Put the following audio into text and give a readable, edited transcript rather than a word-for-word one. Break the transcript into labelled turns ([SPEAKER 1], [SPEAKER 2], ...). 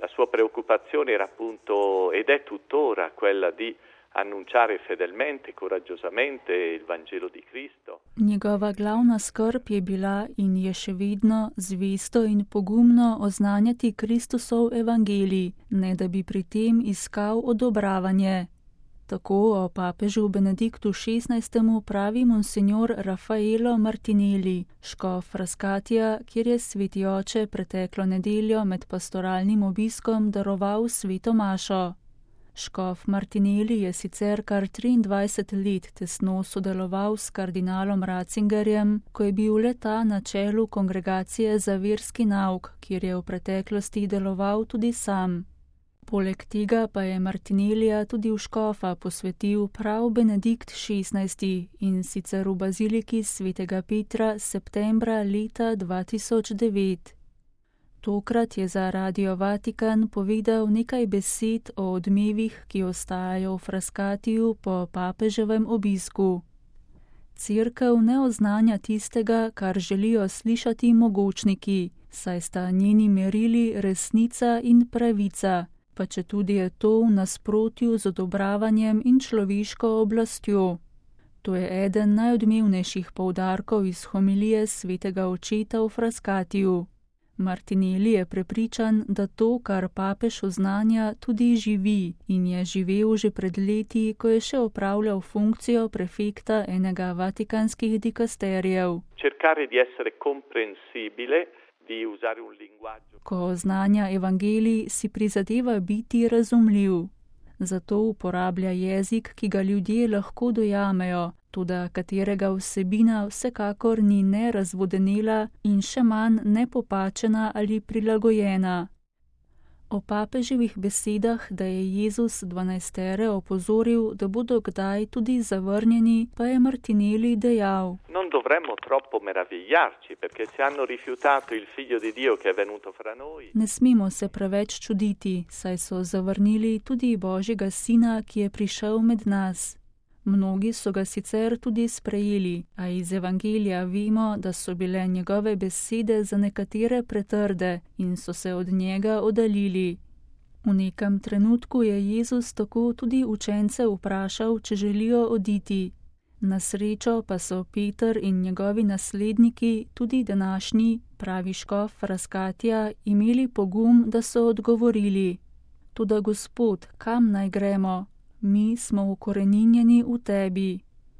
[SPEAKER 1] La sua preoccupazione era appunto, ed è tuttora, quella di annunciare fedelmente, coraggiosamente il Vangelo di Cristo.
[SPEAKER 2] Njegova glavna skrb je bila in je še vedno zvesto in pogumno oznanjati Kristusov evangelij, ne da bi pri tem iskal odobravanje. Tako o papežu Benediktu XVI. Pravi monsignor Raffaello Martinelli, škof Frascatija, kjer je sveti oče preteklo nedeljo med pastoralnim obiskom daroval sveto mašo. Škof Martinelli je sicer kar 23 let tesno sodeloval s kardinalom Ratzingerjem, ko je bil le-ta na čelu kongregacije za verski nauk, kjer je v preteklosti deloval tudi sam. Poleg tega pa je Martinellija tudi v škofa posvetil prav Benedikt XVI. In sicer v baziliki svetega Petra septembra leta 2009. Tokrat je za Radio Vatikan povedal nekaj besed o odmevih, ki ostajajo v Frascatiju po papeževem obisku. Cerkev ne oznanja tistega, kar želijo slišati mogočniki, saj sta njeni merili resnica in pravica, pa četudi je to v nasprotju z odobravanjem in človeško oblastjo. To je eden najodmevnejših poudarkov iz homilije svetega očeta v Frascatiju. Martinelli je prepričan, da to, kar papež oznanja, tudi živi in je živel že pred leti, ko je še opravljal funkcijo prefekta enega vatikanskih dikasterijev. Ko oznanja evangelij, si prizadeva biti razumljiv. Zato uporablja jezik, ki ga ljudje lahko dojamejo, toda katerega vsebina vsekakor ni ne razvodenela in še manj nepopačena ali prilagojena. O papeževih besedah, da je Jezus 12 opozoril, da bodo kdaj tudi zavrnjeni, pa je Martinelli dejal:
[SPEAKER 1] Non dovremmo troppo meravigliarci, perché se hanno rifiutato il figlio di Dio che è venuto fra noi.
[SPEAKER 2] Ne smemo se preveč čuditi, saj so zavrnili tudi Božjega sina, ki je prišel med nas. Mnogi so ga sicer tudi sprejeli, a iz evangelija vemo, da so bile njegove besede za nekatere pretrde in so se od njega oddaljili. V nekem trenutku je Jezus tako tudi učence vprašal, če želijo oditi. Na srečo pa so Peter in njegovi nasledniki, tudi današnji, pravi škof Frascatija, imeli pogum, da so odgovorili: Toda Gospod, kam naj gremo? Mi smo ukoreninjeni v tebi.